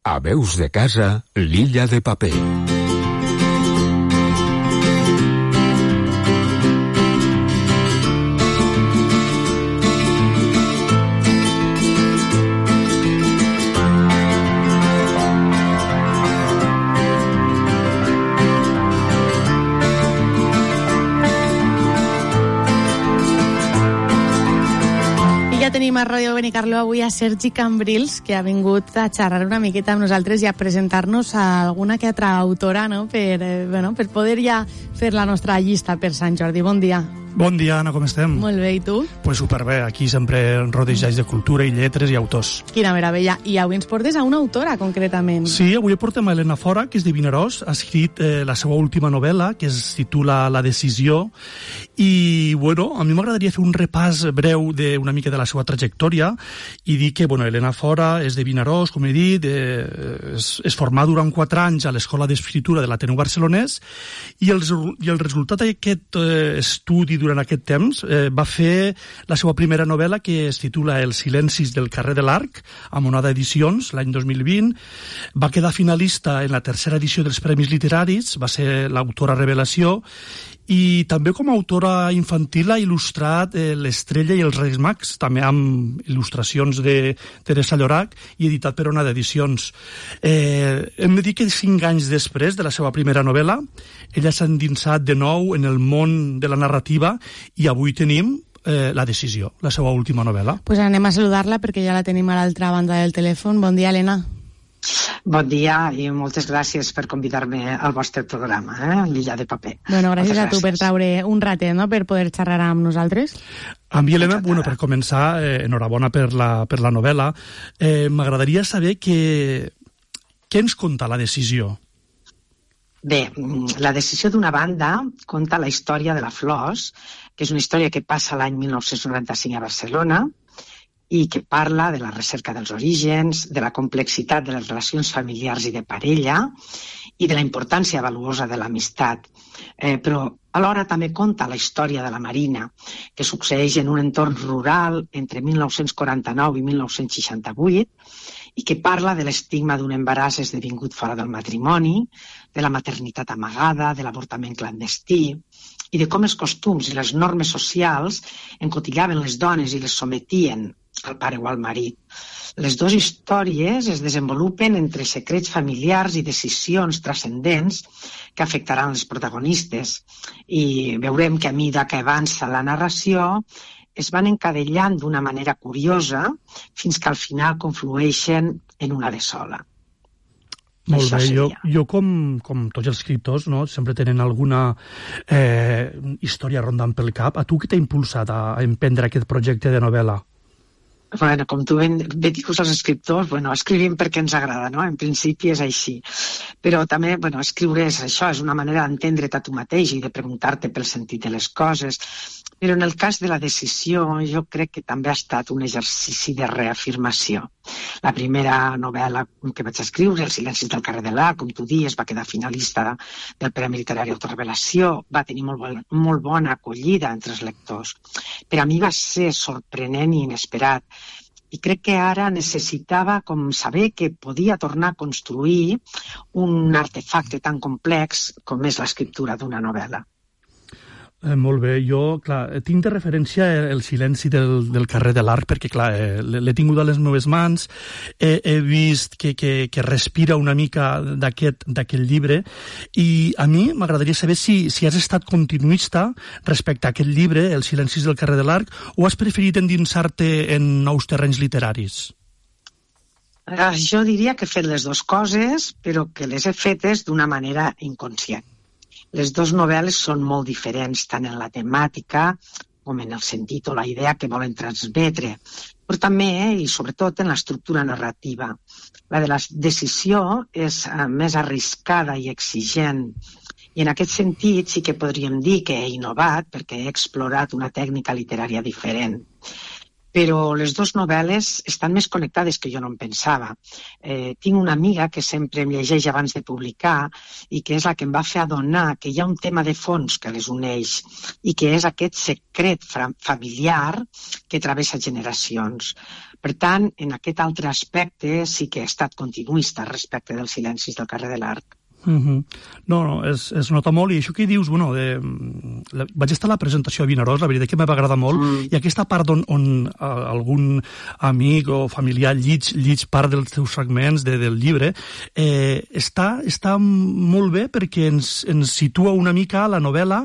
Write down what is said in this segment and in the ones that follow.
A Veus de Casa, l'Illa de Paper. Tenim a Ràdio Benicarló avui a Sergi Cambrils, que ha vingut a xerrar una miqueta amb nosaltres i a presentar-nos a alguna que altra autora, no? per poder ja fer la nostra llista per Sant Jordi. Bon dia. Bon dia, Anna, com estem? Molt bé, i tu? Pues superbé, aquí sempre rodejats de cultura i lletres i autors. Quina meravella. I avui ens portes a una autora, concretament. Sí, avui portem a Elena Fora, que és de Vinaròs, ha escrit la seva última novel·la, que es titula La decisió, i, bueno, a mi m'agradaria fer un repàs breu d'una mica de la seva trajectòria i dir que, bueno, Elena Fora és de Vinaròs, com he dit, es formà durant 4 anys a l'Escola d'Escriptura de l'Ateneu Barcelonès i el resultat d'aquest estudi durant aquest temps va fer la seva primera novel·la, que es titula Els silencis del carrer de l'Arc, a Monada Edicions, l'any 2020. Va quedar finalista en la 3a edició dels Premis Literaris, va ser l'autora revelació, i també com a autora infantil ha il·lustrat L'Estrella i els Reis Mags, també amb il·lustracions de Teresa Llorac i editat per Onada Edicions. Hem de dir que 5 anys després de la seva primera novel·la, ella s'ha endinsat de nou en el món de la narrativa i avui tenim La decisió, la seva última novel·la. Pues anem a saludar-la perquè ja la tenim a l'altra banda del telèfon. Bon dia, Helena. Bon dia i moltes gràcies per convidar-me al vostre programa, l'Illa de Paper. Bueno, gràcies a tu per treure un ratet, no?, per poder xerrar amb nosaltres. A mi, Helena, bueno, per començar, enhorabona per la novel·la. M'agradaria saber què ens conta La decisió. Bé, La decisió, d'una banda, conta la història de la Flors, que és una història que passa l'any 1995 a Barcelona i que parla de la recerca dels orígens, de la complexitat de les relacions familiars i de parella i de la importància valuosa de l'amistat. Però alhora també conta la història de la Marina, que succeeix en un entorn rural entre 1949 i 1968 i que parla de l'estigma d'un embaràs esdevingut fora del matrimoni, de la maternitat amagada, de l'avortament clandestí i de com els costums i les normes socials encotillaven les dones i les sometien al pare o al marit. Les dues històries es desenvolupen entre secrets familiars i decisions transcendents que afectaran les protagonistes i veurem que a mesura que avança la narració es van encadellant d'una manera curiosa fins que al final conflueixen en una de sola. Molt bé, jo com tots els escriptors, no, sempre tenen alguna història rondant pel cap. A tu què t'ha impulsat a emprendre aquest projecte de novel·la? Bueno, com tu ben dius els escriptors, escrivim perquè ens agrada, no? En principi és així. Però també, escriure és això, és una manera d'entendre't a tu mateix i de preguntar-te pel sentit de les coses. Però en el cas de La decisió, jo crec que també ha estat un exercici de reafirmació. La primera novel·la que vaig escriure, Els silencis del carrer de l'Arc, com tu dius, va quedar finalista del Premi Literari Autorevelació, va tenir molt bona acollida entre els lectors. Per a mi va ser sorprenent i inesperat. I crec que ara necessitava saber que podia tornar a construir un artefacte tan complex com és l'escriptura d'una novel·la. Molt bé, jo, clar, tinc de referència El silenci del carrer de l'Arc perquè, clar, l'he tingut a les meves mans, he vist que respira una mica d'aquest llibre i a mi m'agradaria saber si has estat continuista respecte a aquest llibre, Els silencis del carrer de l'Arc, o has preferit endinsar-te en nous terrenys literaris? Jo diria que he fet les dues coses, però que les he fetes d'una manera inconscient. Les dues novel·les són molt diferents, tant en la temàtica com en el sentit o la idea que volen transmetre, però també i sobretot en l'estructura narrativa. La de la decisió és més arriscada i exigent, i en aquest sentit sí que podríem dir que he innovat perquè he explorat una tècnica literària diferent. però les dues novel·les estan més connectades que jo no em pensava. Tinc una amiga que sempre em llegeix abans de publicar i que és la que em va fer adonar que hi ha un tema de fons que les uneix i que és aquest secret familiar que travessa generacions. Per tant, en aquest altre aspecte sí que he estat continuista respecte dels silencis del carrer de l'Arc. No, es nota molt, i això que dius, vaig estar a la presentació a Vinaròs, la veritat que m'ha agradat molt, i aquesta part on algun amic o familiar llig part dels teus fragments del llibre, està molt bé perquè ens situa una mica la novel·la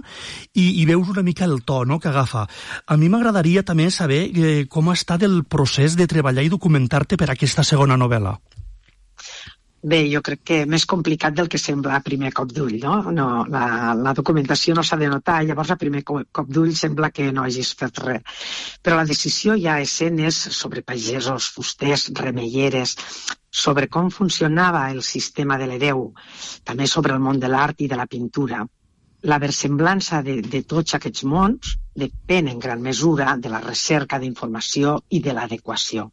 i veus una mica el to, no?, que agafa. A mi m'agradaria també saber com ha estat el procés de treballar i documentar-te per aquesta segona novel·la. Bé, jo crec que més complicat del que sembla a primer cop d'ull, no? La documentació no s'ha de notar, llavors a primer cop d'ull sembla que no hagis fet res. Però la decisió hi ha escenes sobre pagesos, fusters, remeieres, sobre com funcionava el sistema de l'hereu, també sobre el món de l'art i de la pintura. La versemblança de tots aquests mons depèn en gran mesura de la recerca d'informació i de l'adequació.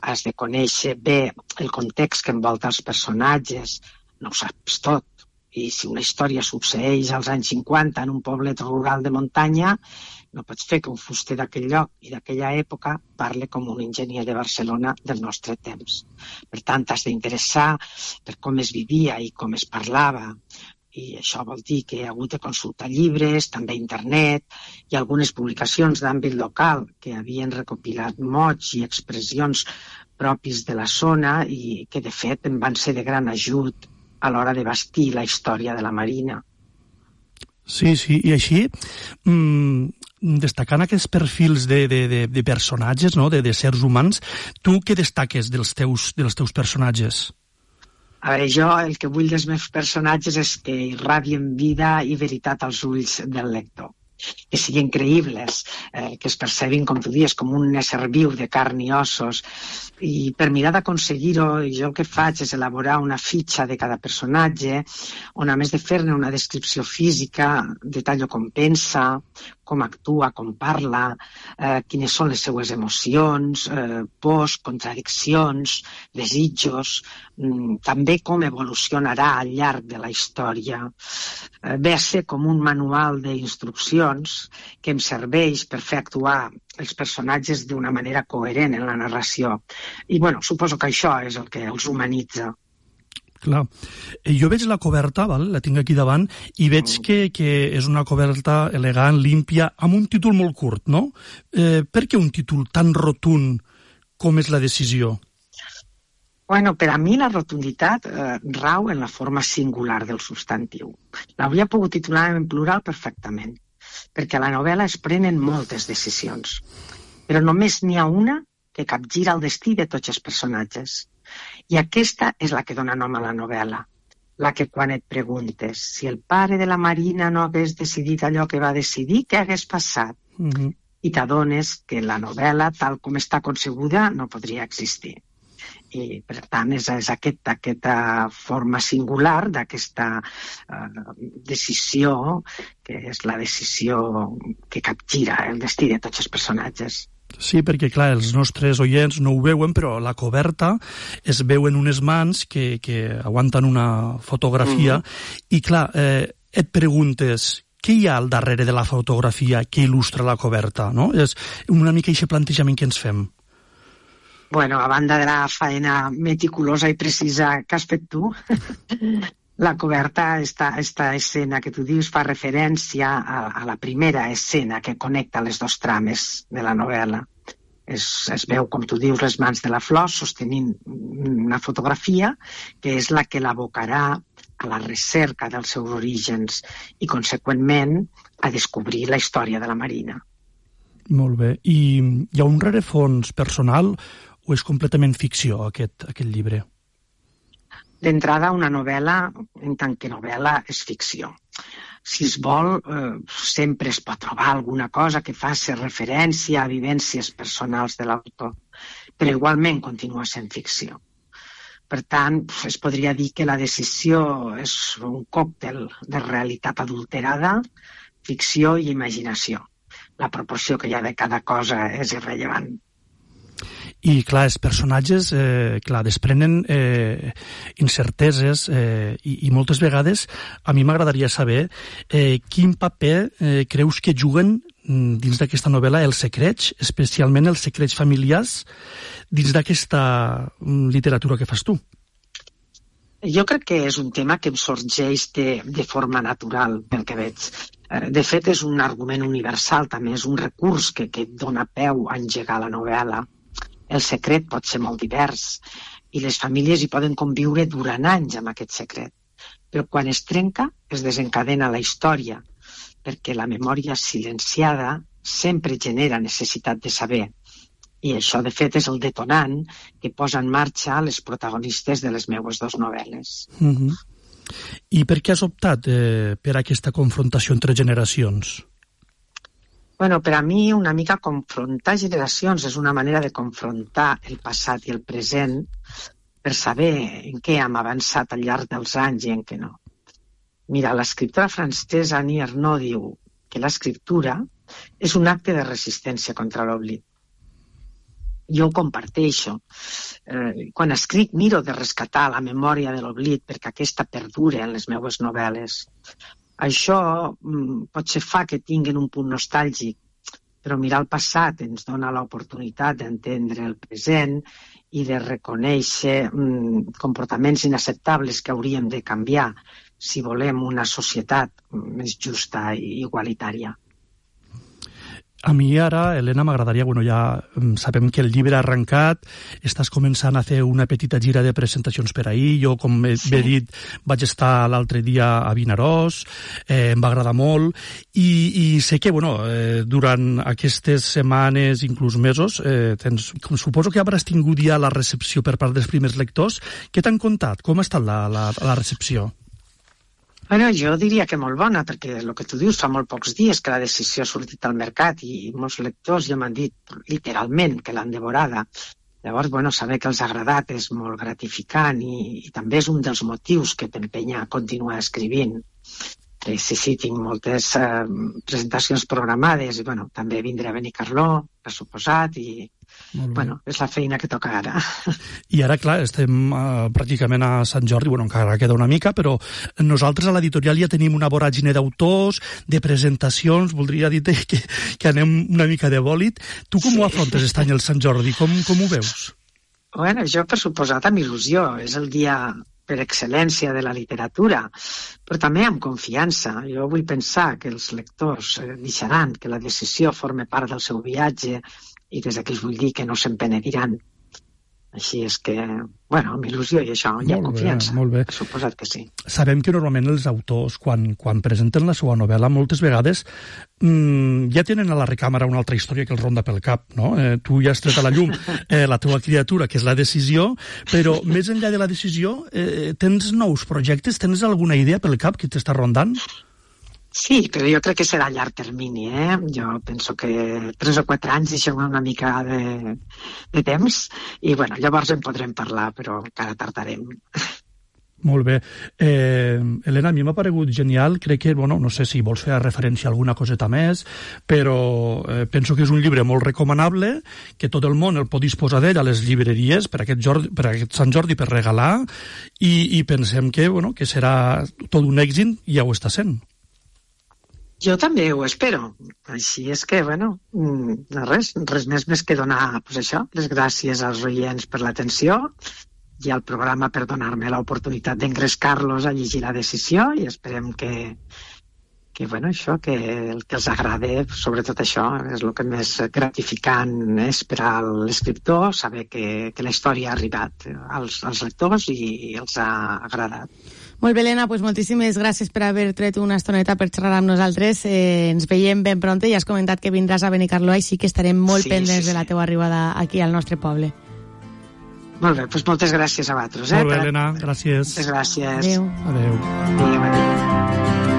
Has de conèixer bé el context que envolta els personatges, no ho saps tot. I si una història succeeix als anys 50 en un poblet rural de muntanya, no pots fer que un fuster d'aquell lloc i d'aquella època parli com un enginyer de Barcelona del nostre temps. Per tant, t'has d'interessar per com es vivia i com es parlava. I això vol dir que he hagut de consultar llibres, també internet i algunes publicacions d'àmbit local que havien recopilat mots i expressions propis de la zona i que, de fet, em van ser de gran ajut a l'hora de bastir la història de la Marina. Sí, i així, destacant aquests perfils de personatges, no?, de seres humans, tu què destaques dels teus personatges? A veure, jo el que vull dels meus personatges és que irradien vida i veritat als ulls del lector. Que siguin creïbles, que es percebin, com tu dius, com un ésser viu de carn i ossos. I per mirar d'aconseguir-ho, jo el que faig és elaborar una fitxa de cada personatge, on a més de fer-ne una descripció física, detallo com pensa, com actua, com parla, quines són les seues emocions, pors, contradiccions, desitjos, també com evolucionarà al llarg de la història. Ve a ser com un manual d'instruccions que em serveix per fer actuar els personatges d'una manera coherent en la narració. I, suposo que això és el que els humanitza. Clar. Jo veig la coberta, la tinc aquí davant, i veig que és una coberta elegant, límpia, amb un títol molt curt, no? Per què un títol tan rotund com és la decisió? Per a mi la rotunditat rau en la forma singular del substantiu. L'hauria pogut titular en plural perfectament, perquè a la novel·la es prenen moltes decisions, però només n'hi ha una que capgira el destí de tots els personatges. I aquesta és la que dona nom a la novel·la, la que quan et preguntes si el pare de la Marina no hagués decidit allò que va decidir, què hagués passat? I t'adones que la novel·la, tal com està concebuda, no podria existir. I, per tant, és aquesta forma singular d'aquesta decisió, que és la decisió que capgira el destí de tots els personatges. Sí, perquè, clar, els nostres oients no ho veuen, però a la coberta es veuen unes mans que aguanten una fotografia i, clar, et preguntes què hi ha al darrere de la fotografia que il·lustra la coberta, no? És una mica aquest plantejament que ens fem. A banda de la faena meticulosa i precisa que has fet tu, la coberta, esta escena que tu dius, fa referència a la primera escena que connecta les dos trames de la novel·la. Es veu, com tu dius, les mans de la Flor sostenint una fotografia que és la que l'abocarà a la recerca dels seus orígens i, conseqüentment, a descobrir la història de la Marina. Molt bé. I hi ha un rerefons personal o és completament ficció, aquest llibre? D'entrada, una novel·la, en tant que novel·la, és ficció. Si es vol, sempre es pot trobar alguna cosa que faci referència a vivències personals de l'autor, però igualment continua sent ficció. Per tant, es podria dir que la decisió és un còctel de realitat adulterada, ficció i imaginació. La proporció que hi ha de cada cosa és irrellevant. I, clar, els personatges, desprenen incerteses i moltes vegades a mi m'agradaria saber quin paper creus que juguen dins d'aquesta novel·la els secrets, especialment els secrets familiars, dins d'aquesta literatura que fas tu. Jo crec que és un tema que em sorgeix de forma natural, pel que veig. De fet, és un argument universal, també és un recurs que dona peu a engegar la novel·la. El secret pot ser molt divers i les famílies hi poden conviure durant anys amb aquest secret. Però quan es trenca, es desencadena la història, perquè la memòria silenciada sempre genera necessitat de saber. I això, de fet, és el detonant que posa en marxa les protagonistes de les meues dues novel·les. I per què has optat per aquesta confrontació entre generacions? Bueno, per a mi, una mica confrontar generacions és una manera de confrontar el passat i el present per saber en què hem avançat al llarg dels anys i en què no. Mira, l'escriptora francesa Annie Ernaux diu que l'escriptura és un acte de resistència contra l'oblit. Jo ho comparteixo. Quan escric miro de rescatar la memòria de l'oblit perquè aquesta perdura en les meues novel·les. Això potser fa que tinguin un punt nostàlgic, però mirar el passat ens dona l'oportunitat d'entendre el present i de reconèixer comportaments inacceptables que hauríem de canviar si volem una societat més justa i igualitària. A mi ara, Elena, m'agradaria, ja sabem que el llibre ha arrencat, estàs començant a fer una petita gira de presentacions per ahir, jo, com bé dit, vaig estar l'altre dia a Vinaròs, em va agradar molt, i sé que, durant aquestes setmanes, inclús mesos, suposo que hauràs tingut ja la recepció per part dels primers lectors. Què t'han contat? Com ha estat la recepció? Bueno, jo diria que molt bona, perquè el que tu dius fa molt pocs dies que la decisió ha sortit al mercat i molts lectors ja m'han dit literalment que l'han devorada. Llavors, saber que els ha agradat és molt gratificant i també és un dels motius que t'empenya a continuar escrivint. Sí, tinc moltes presentacions programades i també vindré a Benicarló, per suposat, i és la feina que toca ara. I ara, clar, estem pràcticament a Sant Jordi, encara queda una mica, però nosaltres a l'editorial ja tenim una voràgine d'autors, de presentacions, voldria dir que anem una mica de bòlit. Tu com ho afrontes aquest any el Sant Jordi? Com ho veus? Bueno, jo, per suposat, amb il·lusió. És el dia per excel·lència de la literatura, però també amb confiança. Jo vull pensar que els lectors deixaran que la decisió forme part del seu viatge i des d'aquí els vull dir que no se'n penediran. Així és que, amb il·lusió i això, hi ha confiança. Molt bé. Suposat que sí. Sabem que normalment els autors, quan presenten la seva novel·la, moltes vegades ja tenen a la recàmera una altra història que els ronda pel cap, no? Tu ja has tret a la llum la teva criatura, que és la decisió, però més enllà de la decisió, tens nous projectes? Tens alguna idea pel cap que t'està rondant? Sí, però jo crec que serà a llarg termini, Jo penso que 3 o 4 anys deixem una mica de temps i, llavors en podrem parlar, però encara tardarem. Molt bé. Elena, a mi m'ha paregut genial, crec que, no sé si vols fer referència a alguna coseta més, però penso que és un llibre molt recomanable, que tot el món el pot disposar d'ell a les llibreries per aquest Sant Jordi per regalar, i pensem que serà tot un èxit, i ja ho està sent. Jo també ho espero. Així és que, res més que donar, les gràcies als oients per l'atenció i al programa per donar-me l'oportunitat d'engrescar-los a llegir la decisió i esperem que el que els agrade, sobretot això, és el que més gratificant és per a l'escriptor, saber que la història ha arribat als lectors i els ha agradat. Molt bé, Elena, moltíssimes gràcies per haver tret una estoneta per xerrar amb nosaltres. Ens veiem ben pronte, ja has comentat que vindràs a Benicarló, així que estarem molt pendents de la teua arribada aquí al nostre poble. Molt bé, moltes gràcies a vosaltres. Molt bé, Elena, gràcies. Moltes gràcies. Adéu. Adéu. Adéu.